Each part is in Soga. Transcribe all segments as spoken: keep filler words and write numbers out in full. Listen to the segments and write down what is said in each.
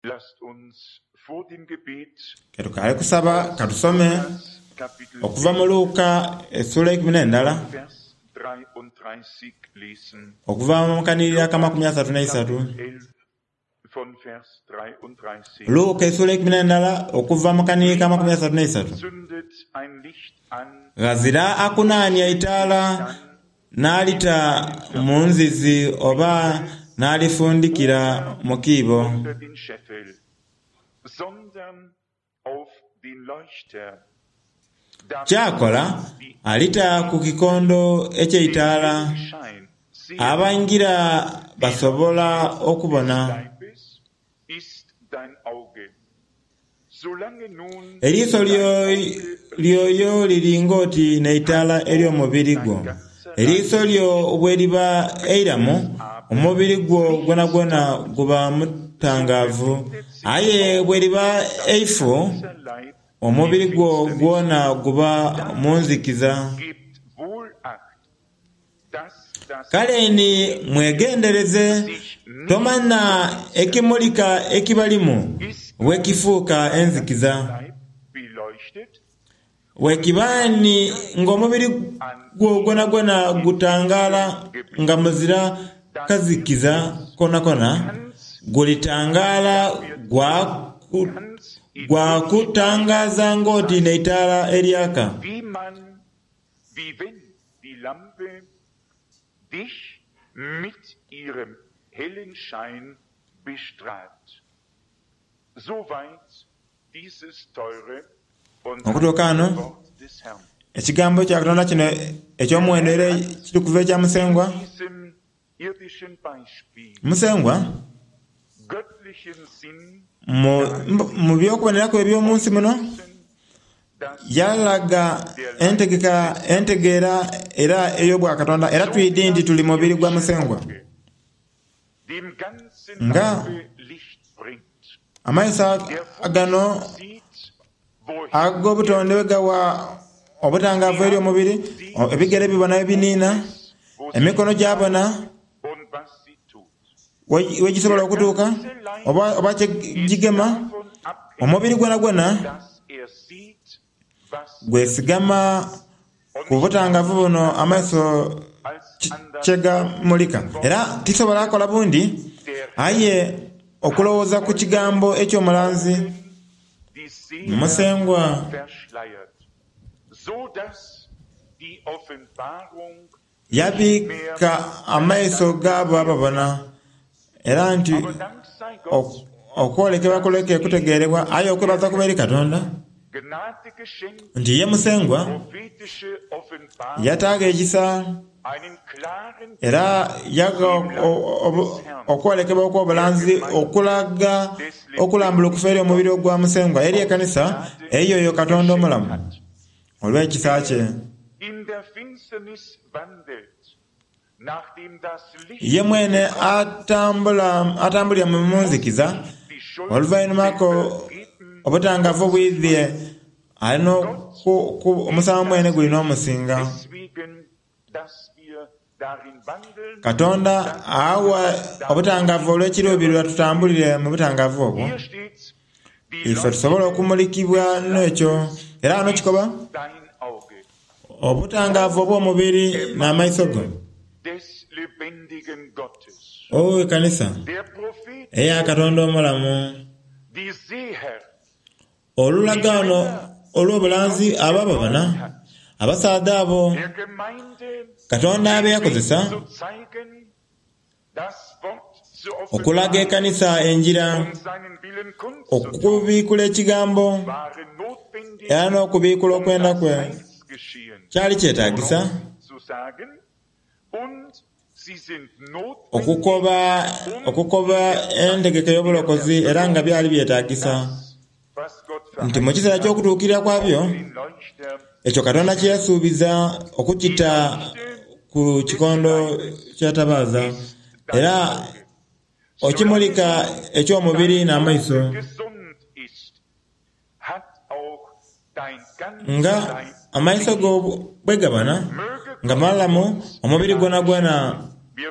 Lasst uns vor dem Gebet Ketukaali kusaba katusome Lukas Kapitel okuva mu Luka essuula eikumi n'endala Vers dreiunddreißig lesen. okuva mu kanhiriri akamakumi asatu n'eisatu. Kapitel elf von Vers dreiunddreißig. Luka essuula eikumi n'endala okuva mu kanhiriri kamakumi asatu n'eisatu. Zündet ein Licht an, Ghazira akunaania itaala n'alita mu nzizi oba n'alifundikira mu kiibo. unter den Scheffel, sondern auf den Leuchter, damit Kyakola die alita ku kikondo eky'eitaala den Schein sehen. abangira basobola okubona. Leibes ist dein Auge. Solange nun Eriiso lyo- lyoyo liri ng'oti n'eitaala ery'omubiri gwo. Eriiso lyo bwe liba eiramu, omubiri gwo gwonagwona guba mutangaavu. Aye bwe liba eifu, ganzer Leib omubiri gwo gwona guba mu nzikiza. gebt wohl Acht, dass das Kale ni mwegendereze, tomanya ekimulika ekibalimu bwekifuuka enzikiza. Leib beleuchtet, Bwekiba ni ng'omubiri gwo gwonagwona gutangaala nga muzira kazikiza konakona, gulitangaala gwaku gwakutangaaza ng'oti n'eitaala eryaka. wie man, wie wenn die Lampe dich mit ihrem hellen Schein bestrahlt. Soweit dieses teure und Okutuuka heilige wano, Wort des Herrn. ekigambo kya Katonda kino eky'omuwendo era kiri kuva ekya Musengwa. Diesem irdischen Beispiel Musengwa, göttlichen Sinn mu, mu by'okuboneraku eby'omunsi muno, dass yalaga entegeka entegeera era ey'obwakatonda era twidi nti tuli mubiri gwa Musengwa. dem ganzen Nga Leibe Licht bringt. amaiso Der gano Fuß sieht, wohin ag'obutonde bwe gawa obutangaavu eri omubiri, ebigere bibona ebiniina, emikono gyabona und was sie tut. we- wegisobola okutuuka oba, oba kyegigema, Davon abhängig, omubiri gwonagwona dass er sieht, was gwesigama ku butangaavu buno amaiso als ki- anders kyegamulika. Era tisobola kola bundi aye okulowooza ku kigambo eky'omulanzi die Seher Musengwa verschleiert, so dass die Offenbarung yabiika amaiso gaabo ababona era nti aber Dank sei Gott, ok- okwolekebwa kuleke kutegeerebwa aye okwebaza kuba eri Katonda Gnade geschenkt, nti ye Musengwa prophetische Offenbarung, yataaga ekisa einen klaren era yaga okwolekebwa okw'obulanzi okulaga okulambulukufa eri omubiri ogwa Musengwa eri ekanisa eyo oyo Katonda omulamu olw'ekisa kye. in der Finsternis wandelt, nachdem das Licht Ye mwene atambula atambulira mu nzikiza die Schuld oluvannyumako vergeben, obutangaavu bwidhye alina oku- ku- omusango mwene gulina omusinga. deswegen, dass wir darin wandeln. Katonda awa obutangaavu olw'ekiruubirirwa tutambulire mu butangaavu obwo. Hier steht's, die Ife tusobola okumulikibwa n'ekyo era wano kikoba dein Auge obutangaavu obw'omubiri n'amaiso go. des lebendigen Gottes. O ekanisa Der Prophet, eya Katonda omulamu die Seher, olulagaano olw'obulanzi abo ababona abasaadha abo der Gemeinde Katonda abe yakozesa zu zeigen, das Wort zu okulaga offenbaren ekanisa enjira und seinen Willen kundzutun, okubiikula ekigambo waren notwendig, era n'okubiikula um okwenda das kwe Heilsgeschehen kyali kyetaagisa zu sagen, und sie sind notwendig, okukoba okukoba entegeka ey'obulokozi era nga byali byetaagisa was Gott nti mu kiseera verheißen hat, ky'okutuukirira kwabyo den Leuchter ekyo Katonda kye yasuubiza okukita ku kikondo kya tabaaza era okimulika eky'omubiri n'amaiso gesund ist, hat auch dein ganzer nga Leib amaiso go bwe gabona Möge nga malamu omubiri gwonagwona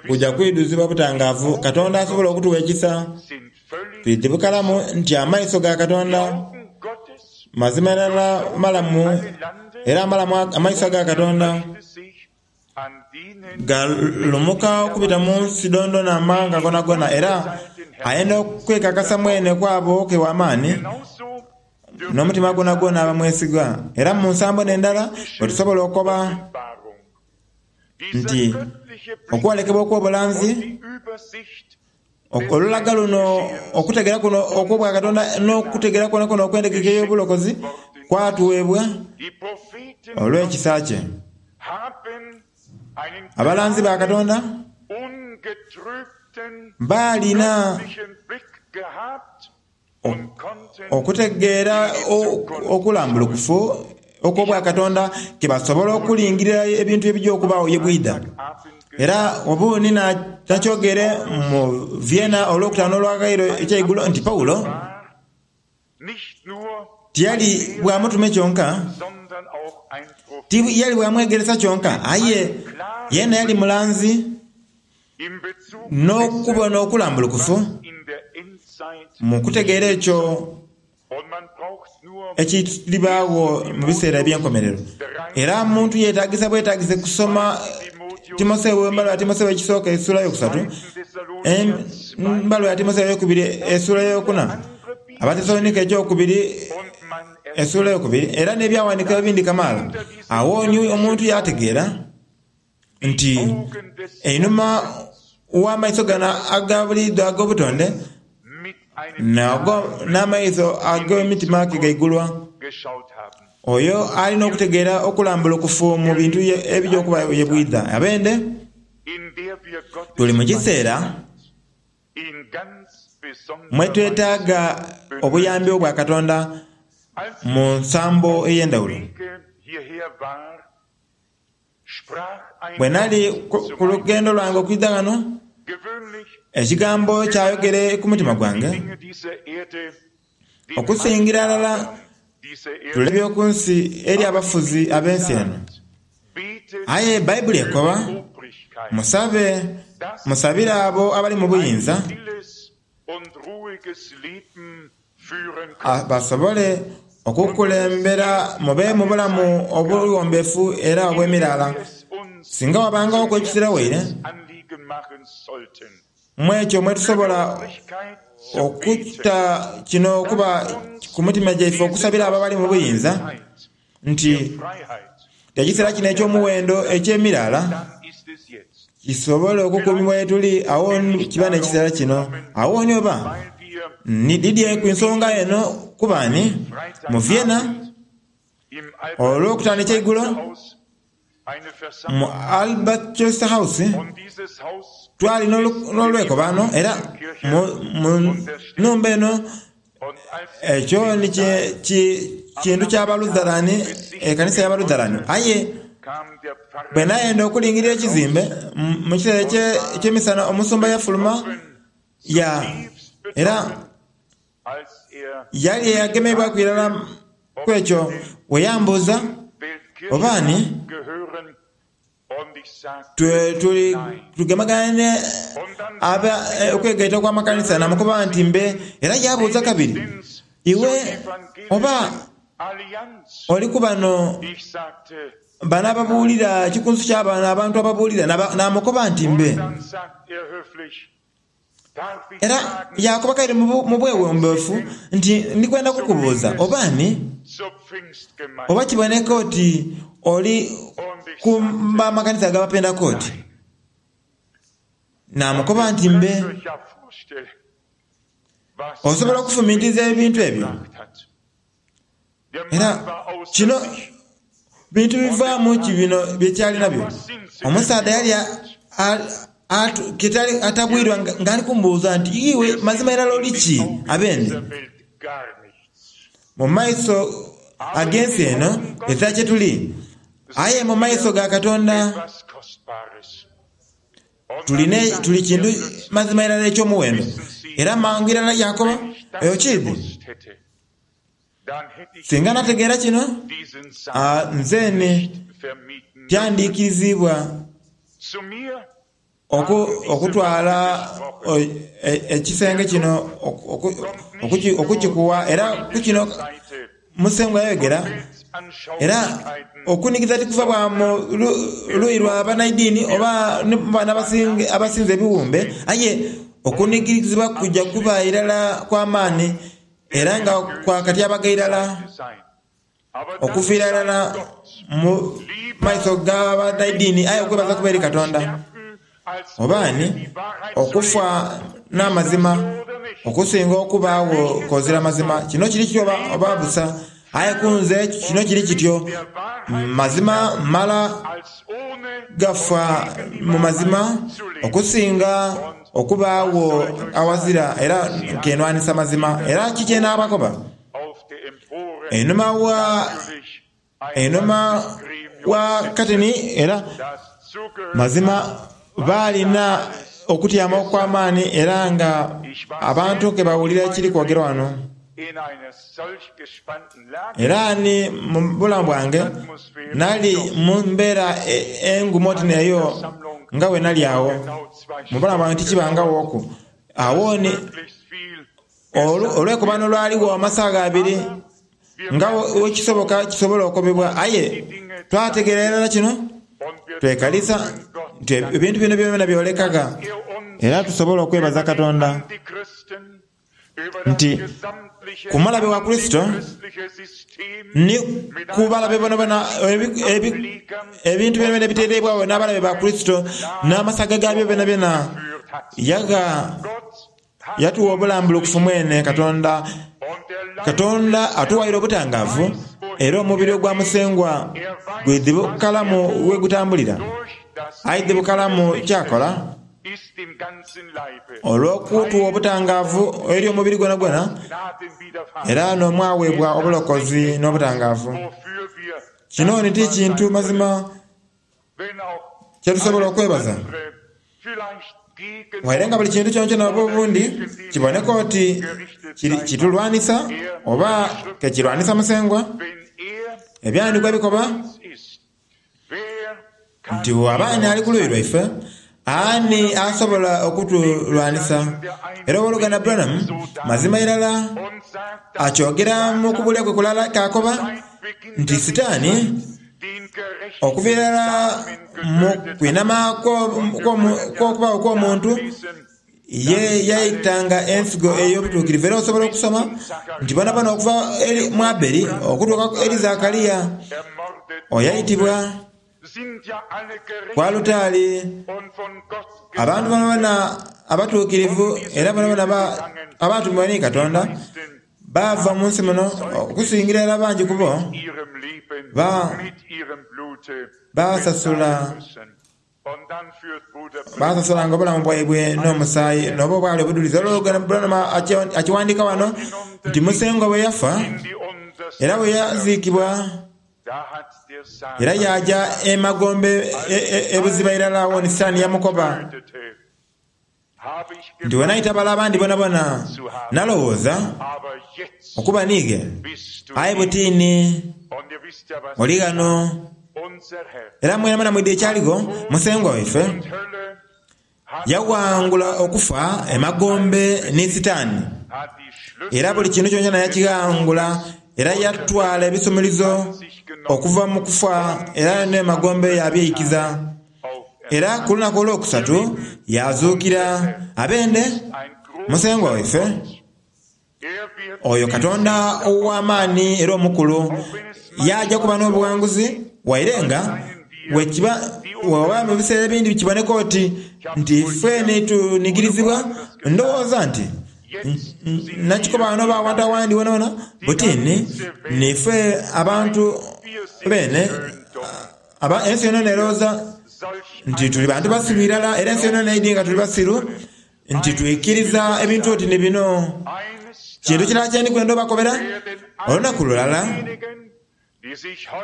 gujja kwidhuzibwa butangaavu. Katonda asobola okutuwa ekisa sind völlig Twidhi bukalamu nti amaiso ga Die Katonda Augen Gottes mazima irala malamu, alle Lande era amalamu amaiso ga Katonda möchte sich an denen galumuka okubita mu nsi dondona amawanga gonagona, era ayenda okwekakasa mwene kwabo ke w'amaani genauso dürfen n'omutima gwonagwona abamwesiga. Era mu nsambo n'endala bwetusobola okoba Offenbarung. Dieser nti göttliche Blick okwolekebwa okw'obulanzi, und die Übersicht olulaga luno, okutegera kuno okw'obwa Katonda n'okutegera kwona kwona okw'entegeka ey'obulokozi kwatuweebwa Die Propheten olw'ekisa kye. haben einen Abalanzi ba Katonda ungetrübten baalina göttlichen Blick gehabt und konnten okutegeera o- okulambulukufu okw'obwa Katonda ke basobola okulingirira ebintu ebijja okubaawo ye bwida. Abend Era obuuni na- nakyogere mu Vienna olwokutaano olwakairo ekyeigulo nti Pawulo war nicht nur tiyali bwamutume kyonka, sondern auch ein Prophet tiyali bwamwegeresa kyonka, aye yena yali mulanzi in Bezug n'okubona okulambulukufu in der Endzeit mu kutegeera ekyo und man braucht nur ekiribaawo mu biseera eby'enkomerero. Era muntu yeetagisa bwetagise kusoma Timoseewo, embaluwa ya Timoseewo ekisooka essuula yokusatu, embaluwa ya Timoseewo eyokubiri essuula eyokuna, Abatesalonika ekyokubiri und man essuula eyokubiri, era n'ebyawandiikibwa ebindi kamaala. Awo ni omuntu yategeera nti Augen des einhuma w'amaiso gano aga buliidho ag'obutonde mit einem nago n'amaiso ag'emitima ge gaigulwa. geschaut haben. Oyo alina okutegeera okulambulukufu mu bintu ye- ebijja okuba ye bwidha. Abende In der wir Gottes tuli mu kiseera in ganz besonderer mwe twetaaga obuyambi obwa Katonda Als mu nsambo ey'endawulo. Wege hierher war, sprach ein Bwe nali Gott ku zu ku meinem lugendo lwange okwidha ghano, Gewöhnlich ekigambo kyayogere ku mutima gwange Dinge dieser Erde, den okusingira ddala Machthabern dieser Erde, tulebye ku nsi eri abafuzi ab'ensi eno. betet Aye Bayibuli ekoba Obrigkeit, musabe musabire abo abali mu buyinza ein stilles und ruhiges Leben führen a- können. basobole okukulembera mube mu bulamu obuwombeefu era obw'emiraala. Es uns Singa wabangawo ekiseera waire Anliegen machen sollten. mu ekyo mwe tusobola Obrigkeit zu beten, okutta kino okuba ku mutima gyaife okusabira abo abali mu buyinza nti Freiheit, ekiseera kino eky'omuwendo eky'emiraala dann ist es jetzt, kisobole okukuumibwa ye tuli awo kiba n'ekiseera kino. Awo ni oba weil wir ni didye ku nsonga eno kubaani mu Vienna im olwokutaano ekyeigulo Haus eine mu Versammlung Albert Chester House und dieses Haus twali n'olu- n'olwekobaano era mu mu nnumba eno und als ekyo ni ki- ki- kintu ky'Abalutherani, ekanisa y'Abalutherani. Aye kam der bwe Pfarrer nayenda okulingirira ekizimbe mu- mu kiseera ekye- ekyemisana omusumba yafuluma ya tiefst era betroffen, als er yali eyagemebwaku irala ku ekyo we yambuuza Weltkirche obaani gehören und ich sagte twe- tuli tugemagane und dann aba eh, okwegaita kw'amakanisa namukuba nti mbe era yabuuza kabiri wenigstens iwe zur evangelischen oba Allianz. oli ku bano Ich sagte, bano ababuulira ekikunsu ky'abano abantu ababuulira naba- namukoba nti mbe dann sagt er höflich, darf ich era fragen yakoba kaire mu bu- mu bwewombeefu nti ndikwenda kukubuuza obaani zur Pfingstgemeinde? oba kiboneka oti oli Und ich ku sagte, b'amakanisa ag'abapentekooti namukoba nti mbe könnt euch ja vorstellen, was osobola das okufumiitiriza ebintu ebyo gebracht hat. Der era Mann war außer kino sich. bintu bivaamu ki bino byekyali nabyo omusaadha yali a- a- atu- ketali atabwirwa nga- ng'ali kumbuuza nti iwe mazima irala oli ki abende Dieser Welt gar nichts. mu maiso ag'ensi eno ezira kye tuli aye mu maiso ga Katonda Etwas Kostbares. Und tulina dann tuli sagt kintu er plötzlich, mazima irala eky'omuwendo era mangu irala yakoba wenn ich das eyo kiidi gewusst hätte, dann hätte ich singa nategeera kino diesen Saal ah, nze ne vermieten tyandiikirizibwa Zu mir Okutwala ekisenge kino okukikuwa era ku kino Musengwa yayogera. Era okunikiza tikuva bwa mu luyi lwa banaidini oba bano abasinza ebiwumbe, aye okunikirizibwa kuja kuba irala kwa maani era nga kwa katyabaga irala okuviira irala mu maiso ga banaidini, aye okwebaza kuba eri Katonda. Oba ni okufa n'amazima okusinga okubaagho kozira mazima. Kino kiri kityo oba busa, aye ku nze kino kiri kityo. Mazima mala gafa mu mazima okusinga okubaagho awazira era kenwanisa mazima. Era kiki enabakoba? Einhuma wa einhuma wa kateni era mazima balina okutyama okw'amaani era nga abantu ke bawulira ekiri kwogerwa wano. Era ni mu bulamu bwange nali mu mbeera engumu oti n'eyo nga bwe nali agho. Mu bulamu bwange tikibangaghoku. Agho ni olwekobano lwaligho amasaga abiri nga wekisoboka kisobola okobebwa, aye twategeera irala kino twekalisa nti ebintu bino byona byolekaga, era tusobola okwebaza Katonda nti ku mulabe wa Kurisito ni ku balabe bonabona, ebintu byonabyona ebiteereibwagho n'abalabe ba Kurisito n'amasaga gaabyo byonabyona, yagha yatuwa obulambulukufu mwene Katonda. Katonda atuwaire obutangaavu, era omubiri ogwa Musengwa gwidhi bukalamu we gutambulira. Aidhi bukalamu kyakola olw'okutuwa obutangaavu eri omubiri gwonagwona, era n'omwaweebwa obulokozi n'obutangaavu. Kino ni ti kintu mazima kyetusobola okwebaza. Waire nga buli kintu kyonakyona oba obundi kiboneka oti kitulwanisa oba kekirwanisa Musengwa, ebyawandiikibwa bikoba nti bw'aba ani ali ku luuyi lwaife, ani asobola okutulwanisa? Era ow'oluganda Branham mazima irala akyogera mu kubulya kwe kulala k'akoba nti Sitaani okuva irala mu kwinama kw'okubaawo kw'omuntu ye yaitanga ensigo ey'obutuukirivu. Era osobola okusoma nti bonabona okuva mu Abeli okutuuka eri Zakariya oyaitibwa ku alutaari, abantu bonabona abatuukirivu era bonabona abaatumibwa ni Katonda baava mu nsi muno, okusingira irala bangi ku bo basasula basasulanga obulamu bwaibwe n'omusaayi n'oba obwali obudulizi. Olwo Branham akiwandiika wano nti Musengwa bwe yafa era bwe yaziikibwa era yaaja emagombe ebuziba irala awo ni Sitaani yamukoba nti wenaita bala abandi bonabona nalowooza okuba niige, aye butiini oli ghano. Era mwenamwena mwidhi ekyaligho, Musengwa waife yawangula okufa emagombe ni Sitaani, era buli kintu kyonakyona yakighangula, era yatwala ebisumuluzo okuva mu kufa era n'emagombe yabyeikiza. Era ku lunaku olwokusatu yazuukira. Abende Musengwa waife oyo Katonda ow'amaani era omukulu yaaja kuba n'obuwanguzi, waire nga wekiba oba mu biseera ebindi kiboneka oti nti ffe tunigirizibwa. Ndowooza nti nakikoba wano oba awantu awandi wonawona butini nife abantu bene ensi yonayona erowooza nti tuli bantu basiru irala, era ensi yonayona eidhi nga tuli basiru nti twikiriza ebintu oti ni bino. Kintu kirala kye ndikwenda obakobera, olunaku lulala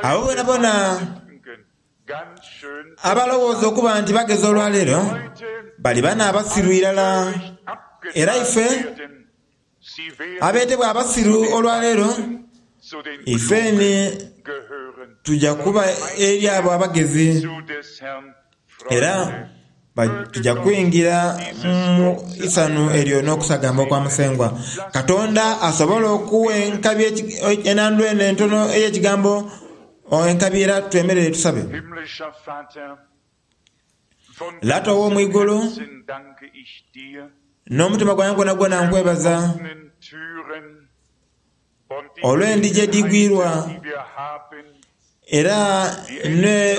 abo bonabona abalowooza okuba nti bagezi olwaleero bali bana abasiru irala, era ife abeetebwa abasiru olwaleero ife ni tuja kuba eri abo abagezi, era Tuja kwingira mu isanhu eryo n'okusagamba okwa Musengwa. Katonda asobola okuwa enkabi enandu eno entono ey'ekigambo enkabi, era twemerere tusabe. Himmlischer Vater, von Lata ow'omwigulu, ganzem Herzen danke ich dir n'omutima gwange gwona gwona nkwebaza offenen Türen und die olw'endigi edigwirwa die wir haben, era ne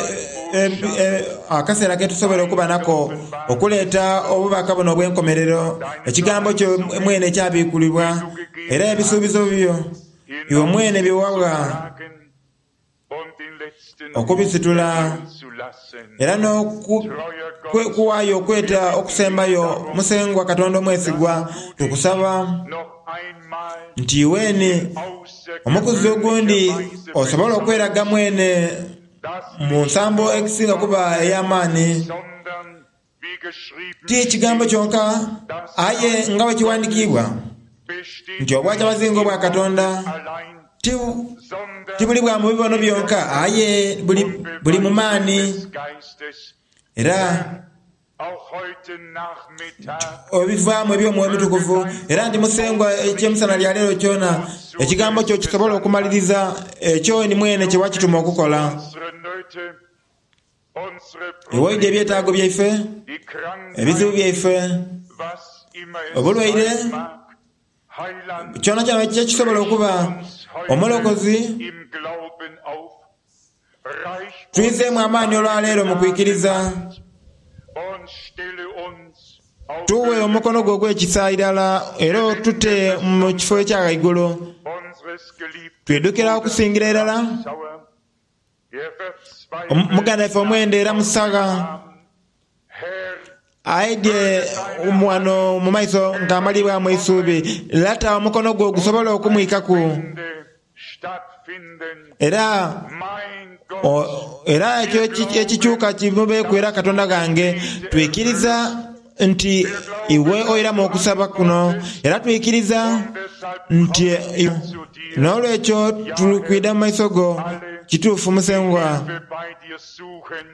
e, e, akaseera ketusobola okuba nako okuleeta obubaka buno obw'enkomerero, ekigambo kyo mwene ekyabikulibwa, era ebisuubizo byo iwe mwene byewawa tragen und den letzten okubisitula Ruf zu lassen. era n'okuwaayo okweta okusembayo. Musengwa Katonda omwesigwa, tukusaba Noch einmal nti iweeni omukuzi ogundi osobola okweraga mwene mu nsambo ekisinga kuba ey'amaani, sondern wie geschrieben ti kigambo kyonka, aye nga bwe kiwandikiibwa besteht nti obwakyabazinga obwa Katonda allein, ti sondern ti buli bwa mu bibono byonka, aye buli, buli mu maani des Geistes. era Auch heute Nachmittag ebivaamu eby'omwoyo omutukuvu. Era nti Musengwa, ekyemisana lya leero kyona ekigambo kyo kisobola okumaliriza ekyo ni mwene kye wakituma okukola. unsere Nöte, unsere Ewaidde ebyetaago byaife, die Krankheit, ebizibu byaife, was immer es obulwaire, sein mag, Heiland, kyona kyona kyekisobola okuba, uns heute omulokozi, im Glauben auf, reich twizeemu amaani olwaleero mu kwikiriza, und stelle uns auf tuwe omukono gwo ogw'ekisa irala, era otute mu kifo ekya ghaigulu. unseres geliebten Twidukira okusingira irala Sauer, der verzweifelt Omu- muganda waffe omwenda era musaga Herr, aidye wano mu maiso ng'amalibwamu eisuubi. Lata omukono gwo gusobola okumwikaku Ende stattfinden, era mein Gott, o- era ekyo eki- ekikyuka kimubeeku. Era Katonda gange, twikiriza nti iwe oiramu okusaba kuno, era twikiriza deshalb nti kommen wir zu dir, n'olwekyo tulikwida mu maiso go. Kituufu Musengwa, wir bei dir suchen,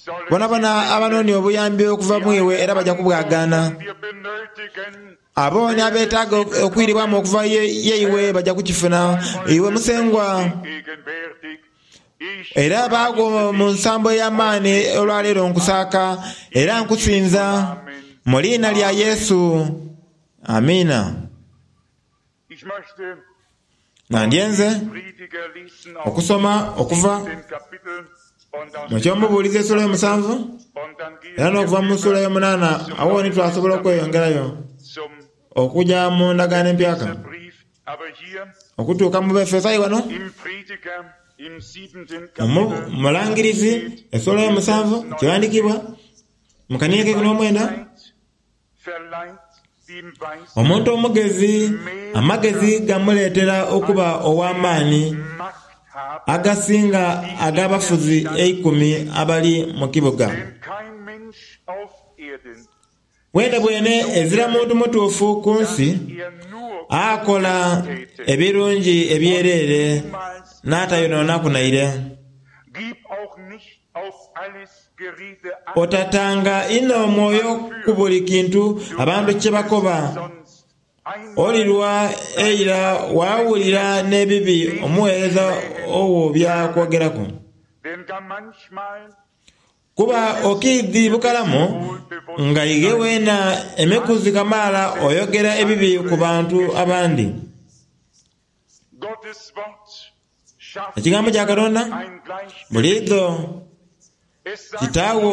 sollen bonabona abanoonia obuyambi okuva mu iwe era bajja kubwagaana. wir benötigen, Abo ni abeetaaga okwiribwamu okuva ye- yeiwe bajja kukifuna iwe Musengwa. gegenwärtig. Ich Era baagwo mu nsambo ey'amaani olwaleero nkusaaka era nkusinza mu liina lya Yesu, amiina. Ich möchte Nandyenze Prediger lesen aus okusoma okuva dem Kapitel und aus mu kyomubuulizi essula y'omusanvu und dann gehen era n'okuva mu ssula y'omunaana, awo ni twasobola okweyongerayo zum okujja mu ndagaano empyaka Brief. Aber hier okutuuka mu Befesayi wano im Prediger im siebenten mu Kapitel mulangirizi essula y'omusanvu kiwandiikibwa mu kaniya ke n'omwenda: verleiht dem Weisen omuntu omugezi amagezi gamuleetera okuba ow'amaani Macht haben, agasinga ag'abafuzi eikumi abali mu kibuga. denn kein Mensch auf Erden, Bwene bwene ezira muntu mutuufu ku nsi er nur akola ebirungi ebyereere niemals n'atayonoonaku naire. Gib auch nicht auf alles Gerede acht, Otatanga inho omwoyo ku buli kintu abantu kye bakoba. sonst einmal Olirwa eira waawulira n'ebibi omuweereza owo byakwogeraku. denn gar manchmal Kuba okiidhi bukalamu nga ighe weena emikuzi kamaala oyogera ebibi ku bantu abandi. Gottes Wort schafft Ekigambo kya Katonda ein Gleichgewicht. buliidho Es sagt kitaawo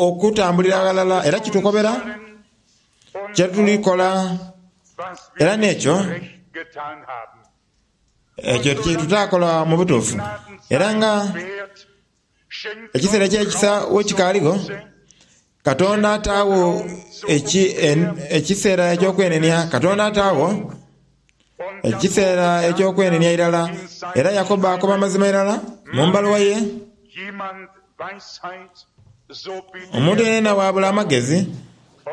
okutambulira ghalala, era kitukobera und kyetulikola was wir era n'ekyo recht getan haben. ekyo kyetutakola mu butuufu. Era nga Wert schenkt ekiseera ekyekisa wekikaaligho, Katonda ataawo eki- en- ekiseera eky'okwenenia. Katonda ataawo und ekiseera eky'okwenenia irala, era Yakobo akoba amazima irala mu mbaluwa ye: jemand Weisheit, so bitte omuntu yenena bwabula amagezi,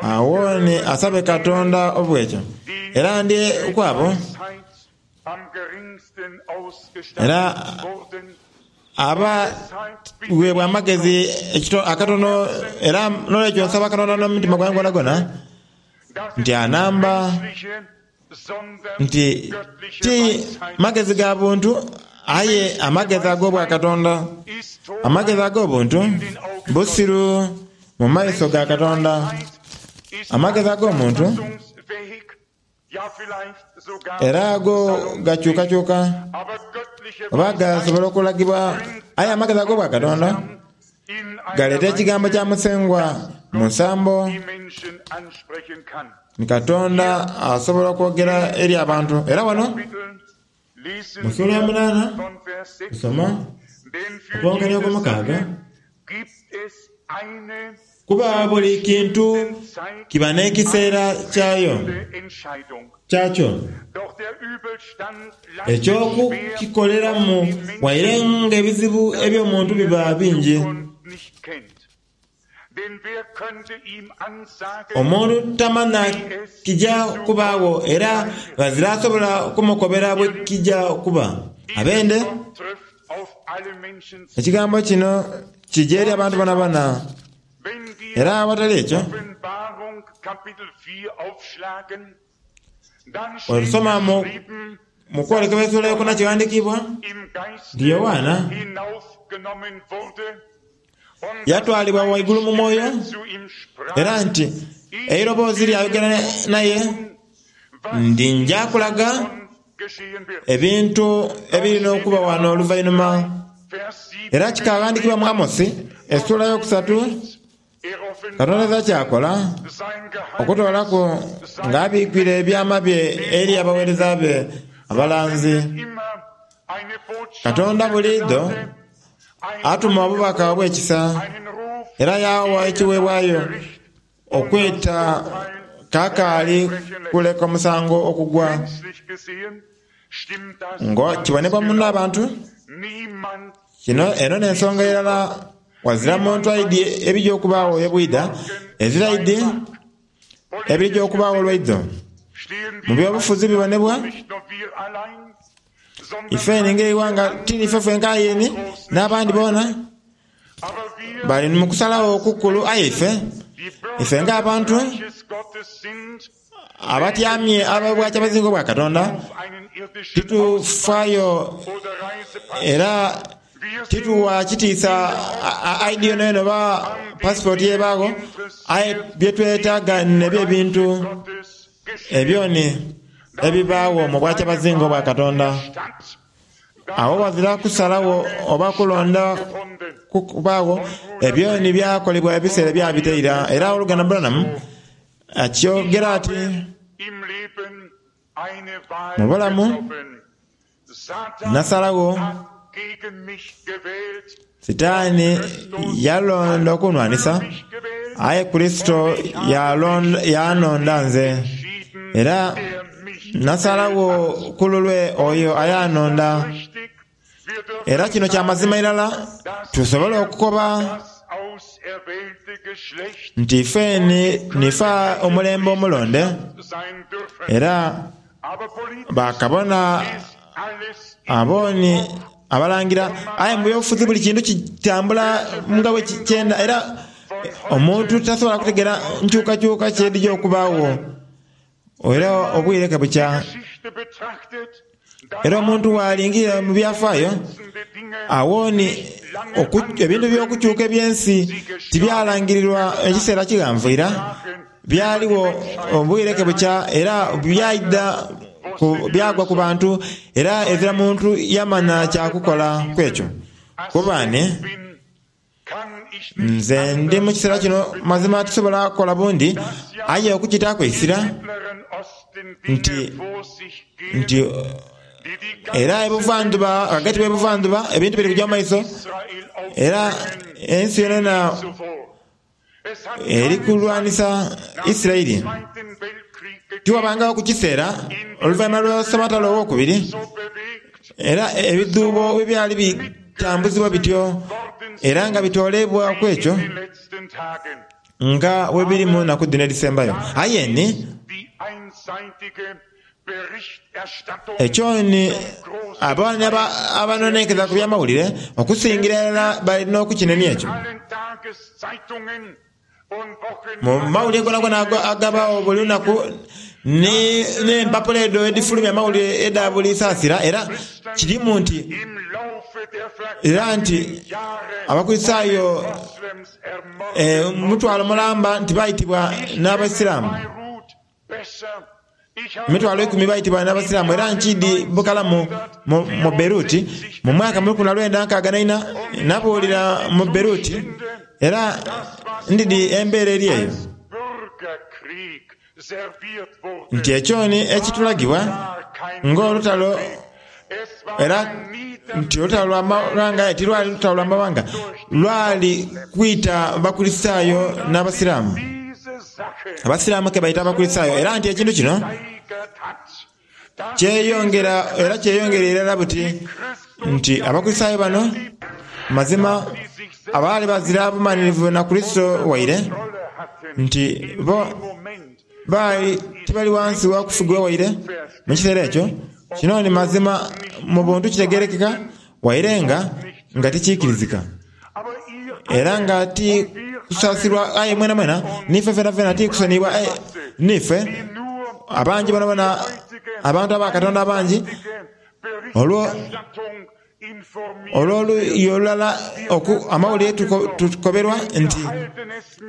awo ni asabe Katonda obwekyo. Era ndi kwabo Weisheit am geringsten Era ausgestattet wurden, Aba weebwa amagezi akatono, era n'olwekyo nsaba Katonda n'omutima gwange gwonagwona nti anamba nti ti magezi ga buntu, aye amagezi ag'obwa Katonda. Amagezi ag'obuntu busiru mu maiso ga Katonda. Amagezi ag'omuntu era ago gakyukakyuka oba gasobola okulagibwa, aye amagezi ag'obwa Katonda galeeta ekigambo kya Musengwa mu nsambo ni Katonda asobola okwogera eri abantu. Era wano mu ssuula ya munaana tusoma okwonkania okw'omukaaga, kuba buli kintu kiba n'ekiseera kyayo kyakyo eky'okukikoleramu, waire nga ebizibu eby'omuntu biba bingi. Omuntu tamanya kija kubaawo, era ghazira asobola kumukobera bwe kija kuba. Abende, ekigambo kino kija eri abantu bonabona, era awatali ekyo wetusoma mu kwolekebwa essuula yokuna kiwandiikibwa nti Yowaana yatwalibwa waigulu mu mwoyo, era nti eiroboozi lyayogera naye, ndi nja kulaga ebintu ebirina okuba wano oluvainhuma. Era kikaghandikibwa mu Amosi essuula yokusatu, Katonda eza kyakola okutoolaku ng'abikwire ebyama bye eri abaweereza be abalanzi. Katonda buliidho atuma obubaka obw'ekisa era yaawa ekiweebwayo okweta kakaali kuleka omusango okugwa. Ngo kibonebwa muno abantu. Kino eno n'ensonga erala wazira muntu aidi ebija okubaawo ebwida, ezira aidi ebija okubaawo olwaidho. Mu byobufuzi bibonebwa ife ninga eighanga ti nife fenka aye n'abandi boona bali mu kusalagho okukulu, aye ife ife ng'abantu abatyamye ab'obwakyabazinga obwa Katonda titufaayo era tituwa kitiisa I D yonayona oba pasipooti yebaagho, aye byetwetaaga nebyo ebintu ebyoni ebibaawo mu bwakyabazinga obwa Katonda. Awo wazira kusalagho oba kulonda kubaagho, ebyoni byakolebwa ebiseera byabita ira. Era oluganda Branham akyogera ati mu bulamu nasalagho Sitaani yalonda okunwanisa, aye Kurisito yanonda nze, era nasalagho ku lulwe oyo ayanonda. Era kino kya mazima irala tusobola okukoba nti ife nifa omulembe omulonde, era bakabona aboni abalangira, aye mu byobufuzi buli kintu kitambula nga bwe kyenda, era omuntu tasobola kutegera nkyukakyuka kyedija okubaawo era obwire ke bukya. Era omuntu bw'alingira mu byafaayo awooni ebintu by'okukyuka eby'ensi tibyalangirirwa ekiseera kighanvu ira, byaliwo obwire ke bukya era byaidha byagwa ku bantu, era ezira muntu yamanya kyakukola ku ekyo. Kuba ni nze ndi mu kiseera kino mazima tusobola kukola bundi, aye okukitaaku eisira nti nti era ebuvandhuba, ghagati w'ebuvandhuba ebintu biri kuja mu maiso, era ensi yonayona eri kulwanisa Isiraeli. Tiwabangagho ku kiseera oluvainhuma lwa Ssematalo owokubiri, era ebidhuubo bwe byali bitambuzibwa bityo era nga bitoolebwa ku ekyo nga bwe biri mu naku dhino edhisembayo. Aye ni Ekyoni abaana abanonenkereza ku byamawulire okusingira irala balina okukinenia ekyo. Mu mawulire gonagona agabawo buli lunaku n'empapula edho edhifulumya amawulire edha buli saasira, era kirimu nti era nti Abakristaayo mutwalo mulamba nti baitibwa n'Abaisiramu. Emitwalo ikumi baitibwa n'Abaisiramu era nkidi bukalamu mu Beirut mu mwaka mu lukumi lwenda nkaaga na ina nabuulira mu Beirut era ndidi embeera eri eyo. Nti ekyoni ekitulagibwa ng'olutalo era nti olutalo lwa mawanga tilwali lutalo lwa mawanga, lwali kwita Bakristaayo n'Abasiraamu. Abasiraamu ke baita Abakristaayo era nti ekintu kino kyeyongera era kyeyongera irala buti nti Abakristaayo bano mazima abaali bazira bumanhirivu na Kurisito waire nti bo baali tibali wansi wa kufugibwa waire mu kiseera ekyo. Kino ni mazima mu buntu kitegerekeka waire nga nga tikiikirizika era nga ti kusaasirwa aye mwenamwena niife fenafena ti kusoniyibwa niife abangi bonabona abantu aba Katonda abangi olwo olw'oluuyi olulala amawulire tukoberwa nti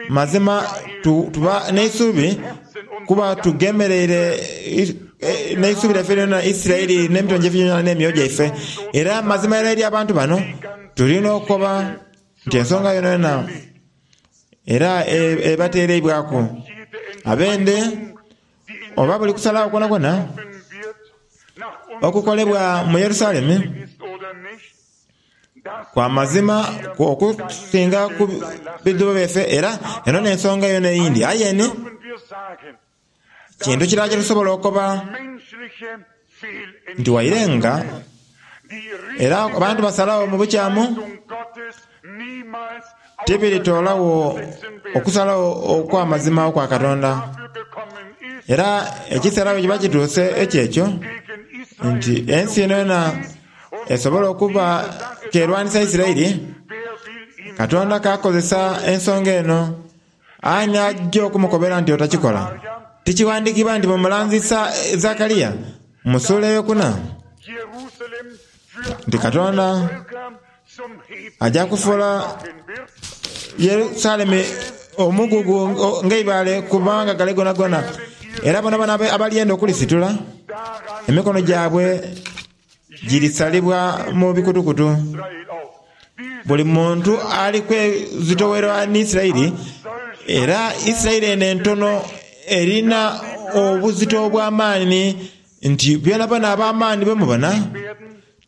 mazima tuba n'eisubi kuba tugemereire n'eisubi lyaife lyona Isiraeli n'emitima gyaife gyona n'emyoyo gyaife. Era mazima era eri abantu bano tulina okukoba nti ensonga yonayona era ebateereibwaku abende oba buli kusalagho kwonakwo okukolebwa mu Yerusalemu kwa mazima okusinga ku bidhuubo byaife era eno n'ensonga yona eyindi. Aye ni kintu kirala kyetusobola okukoba nti waire nga era abantu basalagho mu bukyamu tibiritolawo okusalagho okw'amazima okwa Katonda. Era ekiseera bwe kiba kituuse ekyekyo nti ensi yonayona esobola okuba kerwanisa Isiraeli, Katonda kakozesa ensonga eno ani ajja okumukobera nti otakikola. Tikiwandikibwa nti mumulanzi Zakariya mu sula eyokuna nti Katonda ajja kufuula Yerusalemu omugugu ng'eibaale kubanga gale gonagona, era bonabona abalyenda okulisitula emikono gyabwe girisalibwa mu bikutukutu. Buli muntu ali kwezitowerwa ni Isiraeli, era Isiraeli eno entono erina obuzito obw'amaani nti byonabyona ab'amaani bemubona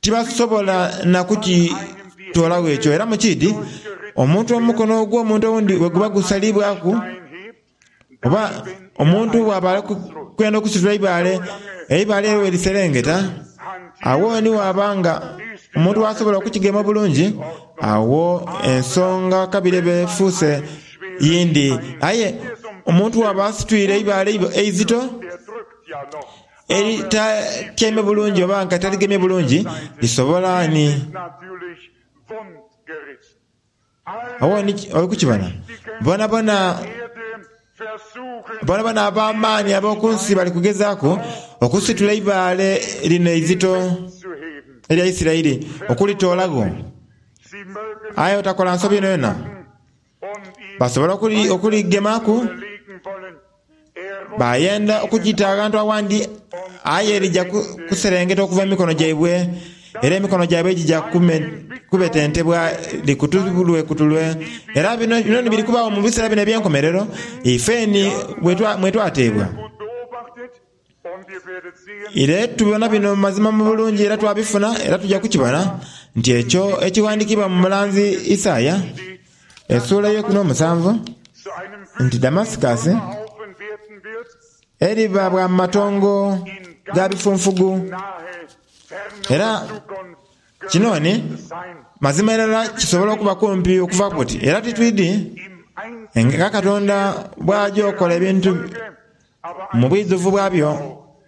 tibasobola na kukitoolagho ekyo. Era mukidi omuntu omukono ogw'omuntu owundi bwe guba gusalibwaku oba omuntu bw'aba ali kwenda okusitula eibaale, eibaale eryo bweriserengeta awo ni waba nga omuntu wasobola okukigema obulungi, awo ensonga kabiri eba efuuse yindi. Aye omuntu waba asitwire eibaale eizito eritatyaime bulungi oba nga taligemye bulungi, lisobola ni awo ni okukibona bonabona bonabona ab'amaani ab'oku nsi bali kugezaaku okusitula eibaale lino eizito erya Isiraeli okulitoolagho. Aye otakola nsobi yonayona. Basobola okuligemaku bayenda okugita aghantu awandi, aye lija kuserengeta okuva mu mikono gyaibwe, era emikono gyaibwe gija kubetentebwa likutulwekutulwe. Era bino ni biri kubaawo mu biseera bino eby'enkomerero ife ni mwe twateebwa. Era tubona bino mazima mu bulungi era twabifuna era tuja kukibona nti ekyo ekiwandikibwa mu mulanzi Isaaya essuula ey'eikumi n'omusanvu nti Damasikasi eriba bwa matongo ga bifunfugu. Era kino ni mazima irala kisobola okuba kumpi okuva buti, era titwidi nga Katonda bw'aja okola ebintu mu bwidhuvu bwabyo.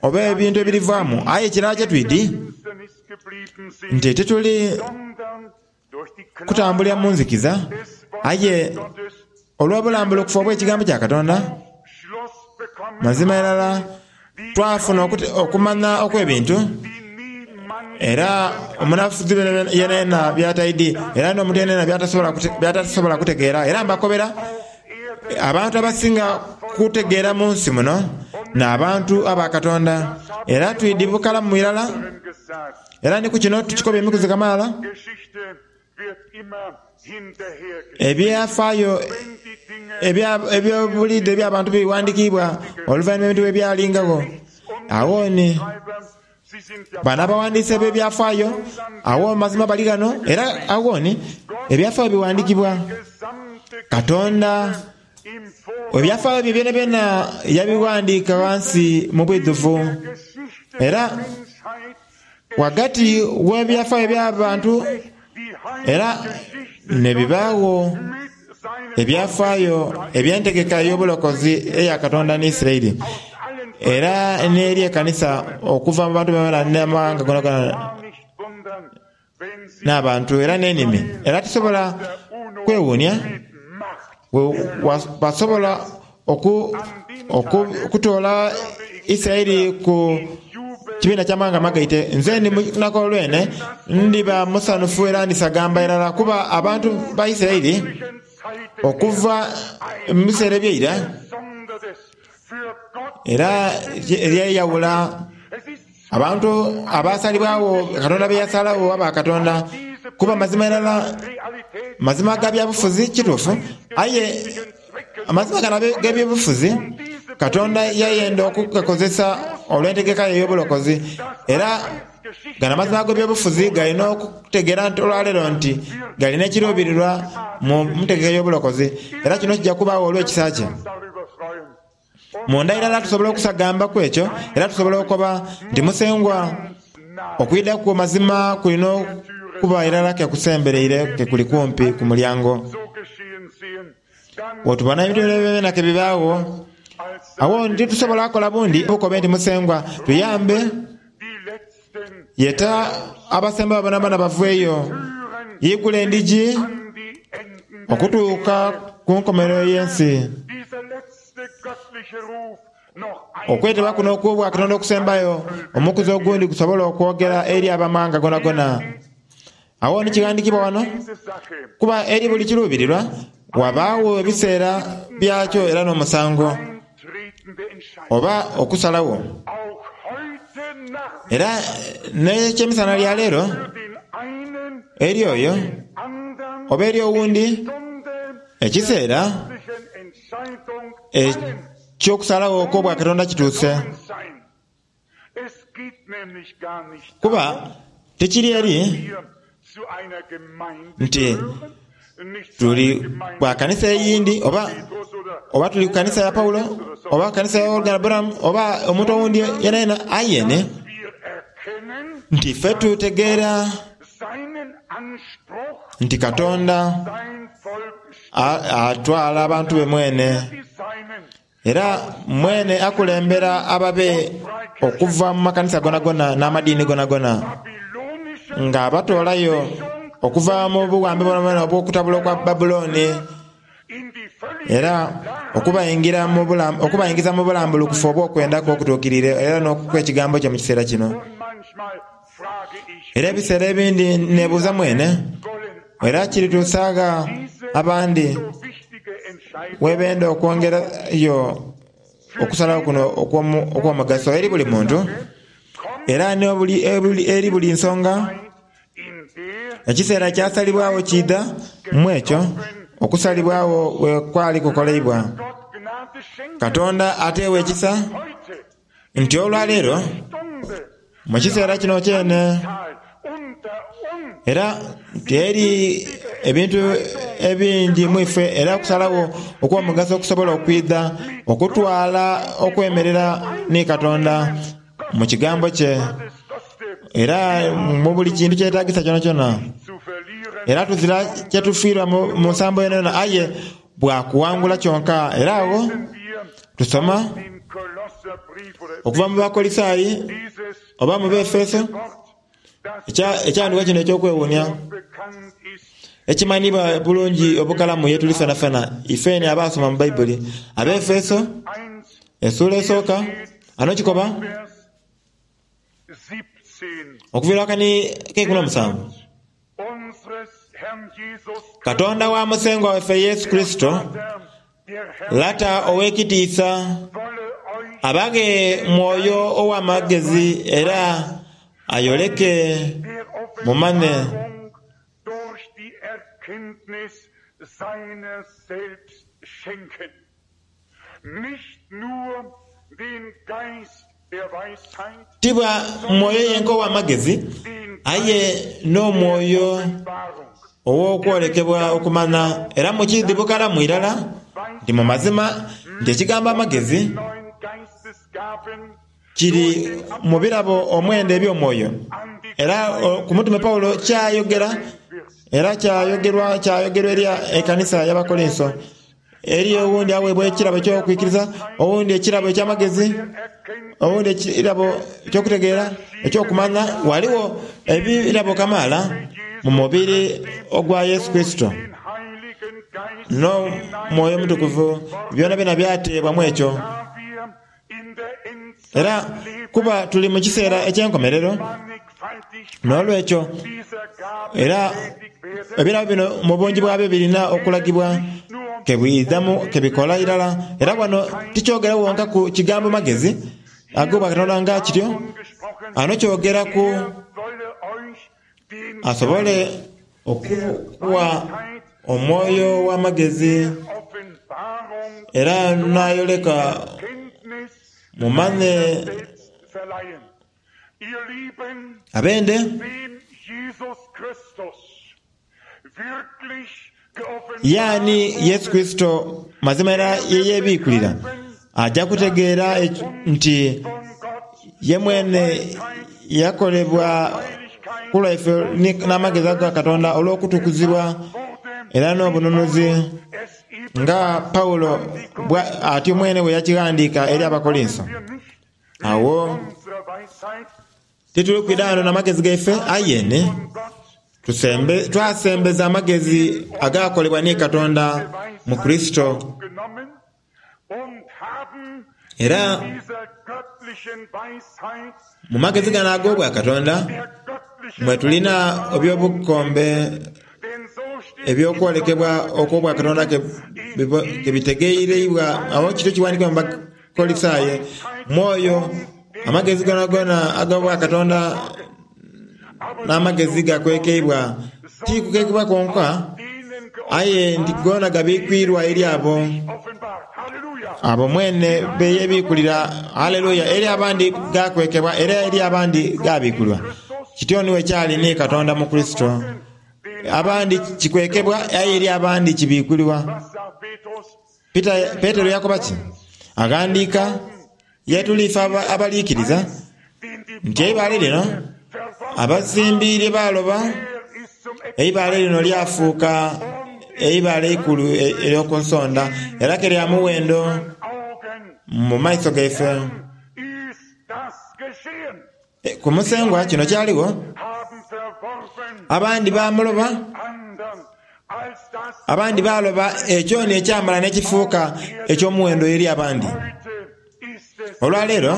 oba ebintu ebirivaamu aye kirala kye twidi nti tituli kutambulira mu nzikiza aye olw'obulambulukufu obw'ekigambo kya Katonda mazima irala twafuna okumanya okw'ebintu era omunafuzi yenayena byataidi era n'omuntu yenayena byatasobola kutegeera. Era mbakobera abantu abasinga kutegeera mu nsi muno n'abantu aba Katonda era twidi bukalamu irala era ni ku kino tukikobya emikuzi kamaala ebyafaayo ebyobulidde eby'abantu biwandiikibwa oluvannyuma ebintu bwe byalingagho. Awo ni bano abawandiise b'ebyafaayo awo mazima bali ghano era awo ni ebyafaayo biwandiikibwa Katonda ebyafaayo bye byonabyona yabiwandiika ghansi mu bwidhuvu era ghagati w'ebyafaayo eby'abantu era nebibaagho ebyafaayo eby'entegeka ey'obulokozi eya Katonda ni Isiraeli era n'eri ekanisa okuva mu bantu bamala n'amawanga gonagona n'abantu era n'enimi. Era tusobola kwewuunia basobola okutoola Isiraeli ku kibiina ky'amawanga amagaite. Nze ndi lunaku olwene ndiba musanhufu era ndisagamba irala kuba abantu ba Isiraeli okuva mu biseera ebyeira era eryeyawula abantu abasalibwagho Katonda be yasalagho aba Katonda kuba mazima irala mazima ga byabufuzi kituufu aye amazima gano ag'ebyobufuzi Katonda yayenda okugakozesa olw'entegeka ye ey'obulokozi era gano amazima ag'ebyobufuzi galina okutegeera nti olwaleero nti galina ekiruubirirwa mu ntegeka ey'obulokozi era kino kijja kubaawo olw'ekisa kye. Munda irala tusobola okusagambaku ekyo era tusobola okukoba nti Musengwa okwidha kwo mazima kulina okuba irala kekusembereire kekuli kumpi ku mulyango. Bwetubona ebintu byonabyona kebibaagho awo titusobola kukola bundi bukobe nti Musengwa tuyambe yeta abasemba bonabona baveeyo yigula endigi okutuuka ku nkomerero y'ensi. Okwetebwa kuno okw'obwa Katonda okusembayo omukuzi ogundi gusobola okwogera eri abamawanga gonagona. Awo ni kighandikibwa wano kuba eri buli kiruubirirwa wabaawo ebiseera byakyo era n'omusango oba okusalagho. Era n'ekyemisana lya leero eri oyo oba eri owundi ekiseera ekyokusalagho okw'obwa Katonda kituuse kuba tikiri eri nti tuli bwa kanisa eyindi oba oba tuli ku kanisa ya Paulo oba kanisa ya Oluganda Branham oba omuntu owundi yenayena ayene nti ffe tutegeera nti Katonda atwala abantu be mwene era mwene akulembera ababe okuva mu makanisa gonagona n'amadiini gonagona nga abatoolayo okuva mu buwambe bwonabwona obw'okutabula okwa Babulooni era okubayingira mu okubayingiza mu bulambulukufu obw'okwenda okutuukirire era n'okwekigambo kye mu kiseera kino. Era ebiseera ebindi nebuuza mwene era kirituusagha abandi webenda okwongerayo okusalawo kuno okw'omugaso eri buli muntu era eri buli nsonga. Ekiseera kyasalibwagho kiidha mu ekyo okusalibwagho we kwali kukoleibwa. Katonda ateewa ekisa nti olwaleero mu kiseera kino kyene era nti eri ebintu ebingi mu ife era okusalagho okw'omugaso okusobola okwidha okutwala okwemerera ni Katonda mu kigambo kye era mu buli kintu kyetagisa kyonakyona. Era tuzira kyetufiirwa mu nsambo yonayona aye bwakuwangula kyonka. Era awo tusoma Okuva mu Bakolisaayi oba mu Befeso, ekyawandiikibwa kino eky'okwewuunia ekimanhiibwa bulungi obukalamu ye tuli fenafena ifeni abasoma mu Baibuli. Abefeso essuula esooka ano kikoba okuviira akani ak'eikumi n'omusanvu, Katonda wa Musengwa waife Yesu Kurisito, Lata ow'ekitiisa, abaghe Mwoyo ow'amagezi era ayoleke mumane ti bwa mwoyo yenka ow'amagezi, aye n'omwoyo ow'okwolekebwa okumanya. Era mukiidhi bukalamu irala nti mu mazima nti ekigambo amagezi kiri mu birabo omwenda eby'omwoyo. Era ku Mutume Paulo kyayogera era kyayogerwa kyayogerwa eri ekanisa y'Abakorinso. Eriyo owundi aweebwa ekirabo eky'okwikiriza, owundi ekirabo eky'amagezi, owundi ekirabo eky'okutegeera, eky'okumanya. Ghaligho ebirabo kamaala mu mubiri ogwa Yesu Kurisito n'Omwoyo Omutukuvu byonabyona byateebwamu ekyo. Era kuba tuli mu kiseera eky'enkomerero, n'olwekyo era ebirabo bino mu bungi bwabyo birina okulagibwa kebwidhamu kebikola irala. Era wano tikyogera wonka ku kigambo magezi ag'obwa Katonda nga kityo, ano kyogera ku asobole okuwa omwoyo ow'amagezi era n'ayoleka mumanye abende yaani Yesu Kurisito mazima era yeyebiikulira, aja kutegeera nti ye mwene yakolebwa ku lwaife n'amagezi aga Katonda olw'okutukuzibwa era n'obununuzi, nga Paulo atyo mwene bwe yakighandiika eri Abakorinso. Agho tituli kwidha ghano n'amagezi gaife, aye ni twasembeza amagezi agakolebwa ni Katonda mu Kurisito. Era mu magezi gano ag'obwakatonda mwe tulina eby'obukombe eby'okwolekebwa okw'obwakatonda kebitegeereibwa. Agho kityo kiwandiikibwa mu Bakolisaayi, mwoyo amagezi gonagona ag'obwakatonda n'amagezi gakwekeibwa, ti kukekeibwa kwonka, aye nti gona gabikwirwa eri abo abo mwene beyebikulira. Haleluya! Eri abandi gakwekebwa era eri abandi gabikulwa. Kityo ni bwekyali ni Katonda mu Kurisito. Abandi kikwekebwa aye eri abandi kibikulibwa. Petero yakoba ki? Aghandiika ye tuli ife abaliikiriza nti eibaale lino abazimbi lye baaloba, eibaale lino lyafuuka eibaale eikulu ery'oku nsonda era ke lya muwendo mu maiso gaife. Ku Musengwa kino kyaligho, abandi baamuloba, abandi baaloba ekyo ni ekyamala n'ekifuuka eky'omuwendo eri abandi. Olwaleero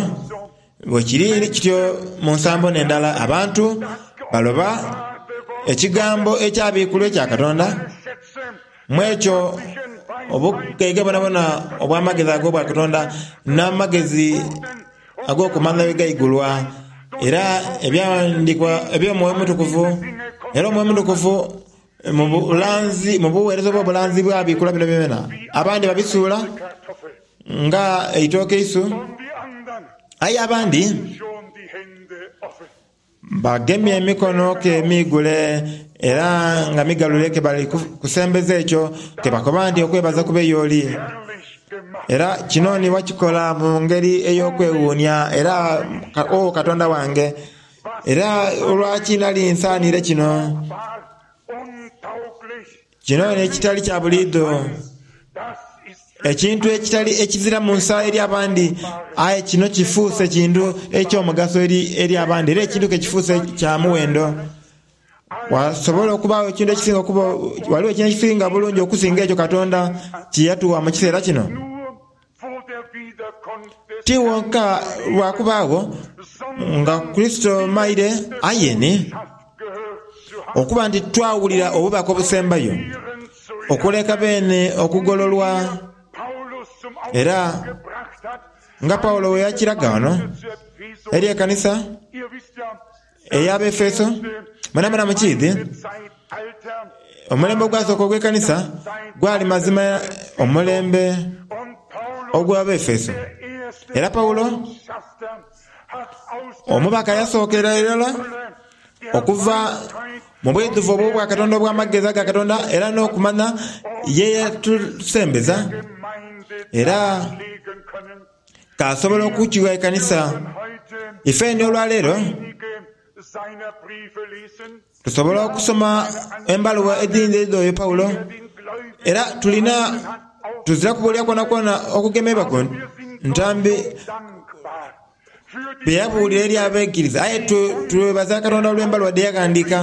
bwekiri kityo mu nsambo n'endala, abantu baloba ekigambo ekyabikulwa ekya Katonda. Mu ekyo obugaiga bwonabwona obw'amagezi ag'obwakatonda n'amagezi ag'okumanya bwe gaigulwa, era ebyawandiikibwa eby'Omwoyo Omutukuvu, era Omwoyo Omutukuvu mu bulanzi, mu buweereza obw'obulanzi bwabikula bino byona. Abandi babisuula nga eitooke eisu, aye abandi bagemye emikono ke miigule era nga migalule ke bali kusembeza ekyo ke bakoba nti okwebaza kube y'oli. Era kino ni wakikola mu ngeri ey'okwewuunia, era o Katonda wange, era olwaki nali nsaaniire kino? Kino n'ekitali kya buliidho. Ekintu ekitali ekizira mu nsa eri abandi, aye kino kifuuse kintu eky'omugaso eri eri abandi, era ekintu ke kifuuse kya muwendo. Wasobola okubaawo ekintu ekisinga okuba, waliwo ekintu ekisinga bulungi okusinga ekyo Katonda kye yatuwa mu kiseera kino? Ti wonka lwa kubaagho nga Kurisito maire, aye ni okuba nti twawulira obubaka obusembayo, okuleka beene okugololwa. Era nga Pawulo bwe yakiraga wano eri ekanisa ey'Abaefeso, mwenamwena mukiidhi, omulembe ogwasooka ogw'ekanisa gwali mazima omulembe ogw'Abaefeso. Era Pawulo omubaka yasookera irala okuva mu bwidhuvu obw'Obwakatonda obw'amagezi aga Katonda era n'okumanya ye yatusembeza, era k'asobola okukigha ekanisa. Ifeni olwaleero tusobola okusoma embaluwa edhindi edh'oyo Pawulo, era tulina tuzira kubuulira kwonakwona okugemebwa ku ntambi bye yabuulira eri abaikiriza. Aye twebaza Katonda olw'embaluwa dhe yaghandiika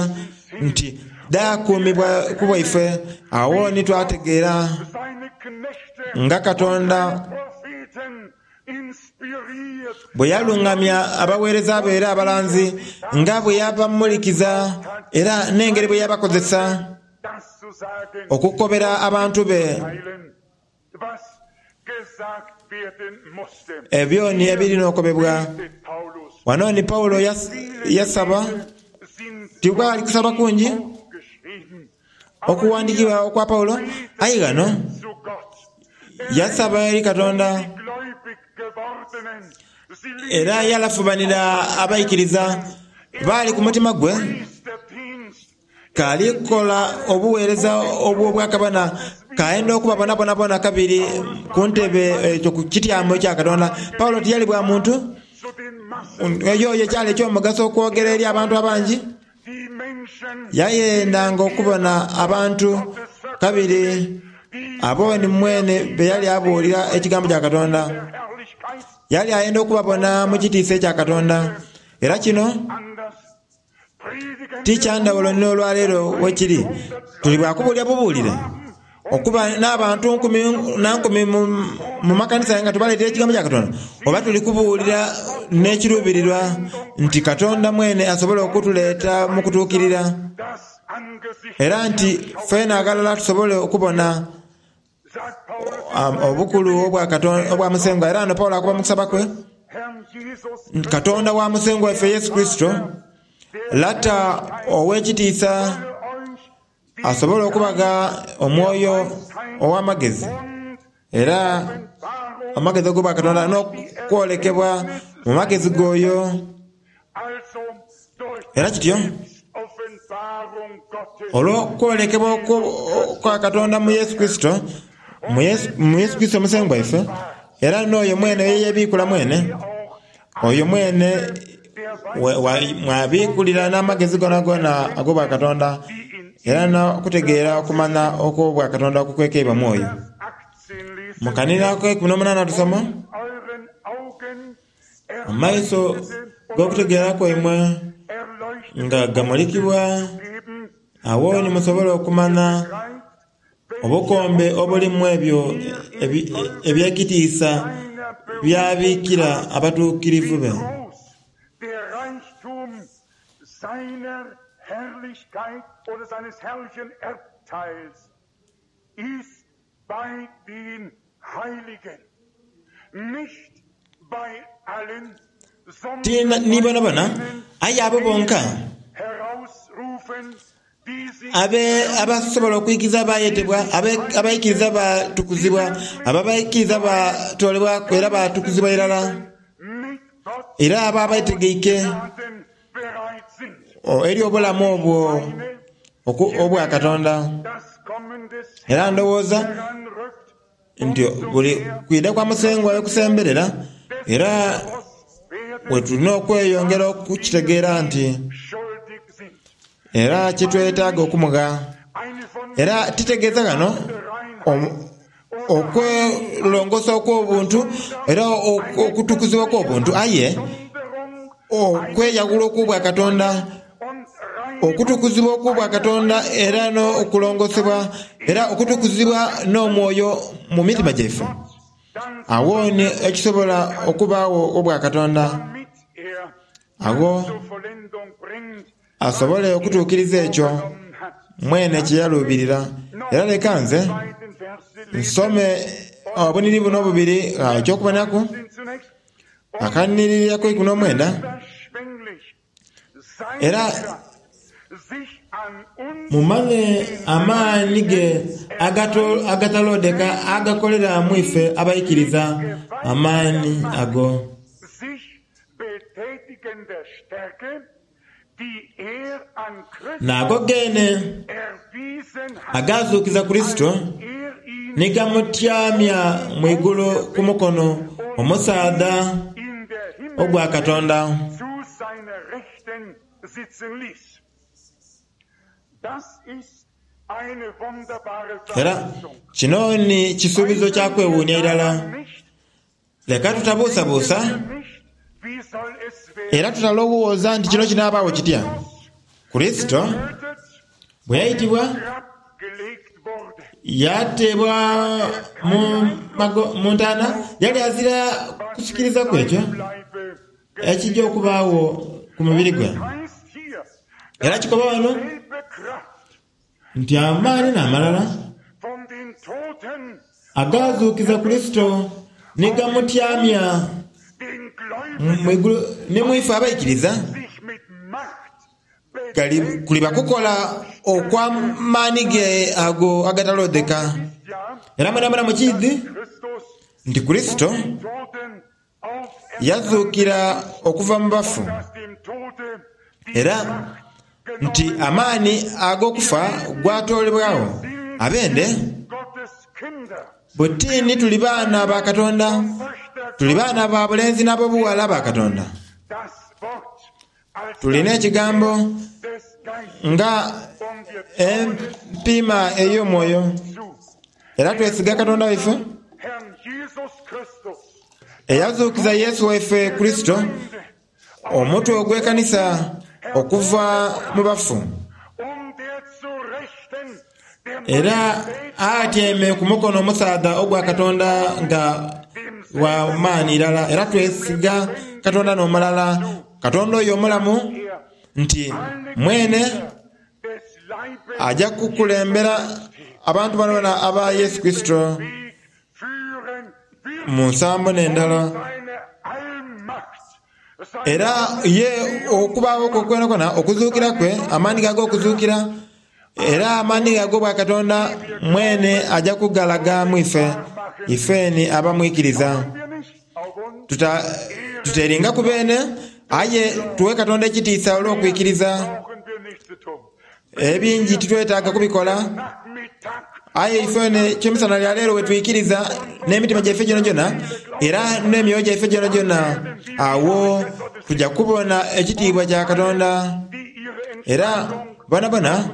nti dhaakuumibwa ku bwaife. Agho ni twategeera nga Katonda bwe yalungamya abaweereza be era abalanzi, nga bwe yabamulikiza era n'engeri bwe yabakozesa okukobera abantu be ebyoni ebirina okobebwa. Wano ni Pawulo yasaba, tikwali kusaba kungi okuwandikibwa okwa Pawulo, aye ghano yasaba eri Katonda era yalafubanira abaikiriza baali ku mutima gwe k'alikola obuweereza obw'obwakabona, k'ayenda okubabonabonabona kabiri ku ntebe ekyo ku kityamo ekya Katonda. Pawulo tiyali bwa muntu eyo ekyali eky'omugaso okwogera eri abantu abangi. Yayendanga okubona abantu kabiri abo ni mwene be yali abuulira ekigambo kya Katonda. Yali ayenda okubabona mu kitiisa ekya Katonda. Era kino ti kya ndhawulo n'olwaleero wekiri. Tuli bwa kubuulira bubuulire okuba n'abantu nkumi na nkumi mu makanisa nga tubaleetera ekigambo kya Katonda, oba tuli kubuulira n'ekiruubirirwa nti Katonda mwene asobola okutuleeta mu kutuukirira, era nti ffena aghalala tusobole okubona obukulu obwa Musengwa. Era wano Pawulo akuba mu kusaba kwe, Katonda wa Musengwa waife Yesu Kurisito, Lata ow'ekitiisa, asobola okubaga omwoyo ow'amagezi era amagezi ag'obwakatonda n'okwolekebwa mu magezi g'oyo. Era kityo olw'okwolekebwa kwa Katonda mu Yesu Kurisito, mu Yesu Kurisito Musengwa waife, era n'oyo mwene eyebiikula mwene, oyo mwene mwabiikulira n'amagezi gonagona ag'obwakatonda era n'okutegeera okumanya okw'obwakatonda okukwekeibwa mu oyo. Mu kanira ak'eikumi n'omunaana tusoma, amaiso g'okutegeera kwaimwe nga gamulikibwa, agho ni musobola okumanya obukombe obulimu ebyo eby'ekitiisa by'abiikira abatuukirivu be. Ti ni bonabona, aye abo bonka abasobola okwikiriza baayetebwa, abaikiriza baatukuzibwa, abo abaikiriza baatoolebwaku era baatukuzibwa irala, era abo abeetegeike eri obulamu obwo obwa Katonda. Era ndowooza nti buli kwidha kwa Musengwa we kusemberera, era we tulina okweyongera okukitegeera nti era kitwetaaga okumugha. Era titegeeza ghano Okwelongosa okw'obuntu era okutukuzibwa okw'obuntu, aye okweyawula okw'obwakatonda, okutukuzibwa okw'obwakatonda era n'okulongosebwa era okutukuzibwa n'omwoyo mu mitima gyaife. Awo ni ekisobola okubaawo obwakatonda, awo asobole okutuukiriza ekyo mwene kye yaluubirira. Era leka nze nsome obuniri buno obubiri, eky'okubonaku akaniriraku eikumi n'omwenda, era mumanye amaani ge agatalodeka agakolera mu ife abaikiriza, amaani ago. N'ago geene agaazuukiza Kurisito ni gamutyamya mu igulu ku mukono omusaadha ogwa Katonda. Era kino ni kisuubizo kya kwewuunia irala. Leka tutabuusabuusa era tutalowooza nti kino kinaabaawo kitya. Kurisito bwe yaitibwa, yateebwa mu ntaana, yali azira kusikiriza ku ekyo ekija okubaagho ku mubiri gwe. Era kikoba wano nti amaani n'amalala agaazuukiza Kurisito ni gamutyamya mu igulu ni mu ife abaikiriza, kuliba kukola okw'amaani ge ago agataloodheka. Era mwenamwena mukiidhi nti Kurisito yazuukira okuva mu bafu, era nti amaani ag'okufa gwatoolebwagho. Abende butini tuli baana ba Katonda, tuli baana ba bulenzi n'ab'obughala ba Katonda. Tulina ekigambo nga empiima ey'omwoyo, era twesiga Katonda waife eyazuukiza Yesu waife Kurisito, omutwe ogw'ekanisa okuva mu bafu, era atyaime ku mukono omusaadha ogwa Katonda nga wa maani irala. Era twesiga Katonda n'omulala, Katonda oyo omulamu, nti mwene aja kukulembera abantu bonabona aba Yesu Kurisito mu nsambo n'endala. Era ye okubaagho kwe kwonakwona, okuzuukira kwe, amaani ge ag'okuzuukira, era amaani ge ag'obwakatonda mwene aja kugalaga mu ife, ifeni abamwikiriza. Tuteringa ku beene, aye tuwe Katonda ekitiisa olw'okwikiriza. Ebingi titwetaaga kubikola, aye ifene ekyemisana lya leero wetwikiriza n'emitima gyaife gyonagyona era n'emyoyo gyaife gyonagyona, awo tuja kubona ekitiibwa kya Katonda. Era bonabona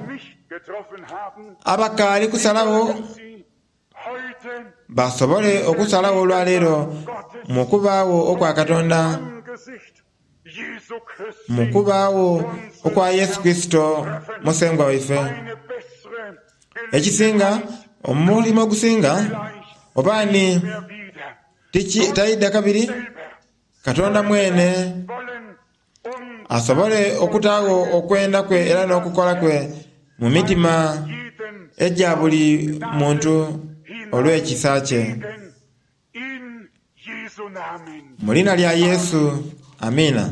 abakaali kusalagho basobole okusalagho olwaleero mu kubaagho okwa Katonda, mu kubaagho okwa Yesu Kurisito Musengwa waife. Ekisinga, omulimo ogusinga, oba ni taidha kabiri, Katonda mwene asobole okutaagho okwenda kwe era n'okukola kwe mu mitima egya buli muntu olw'ekisa kye. Mu liina lya Yesu, amiina.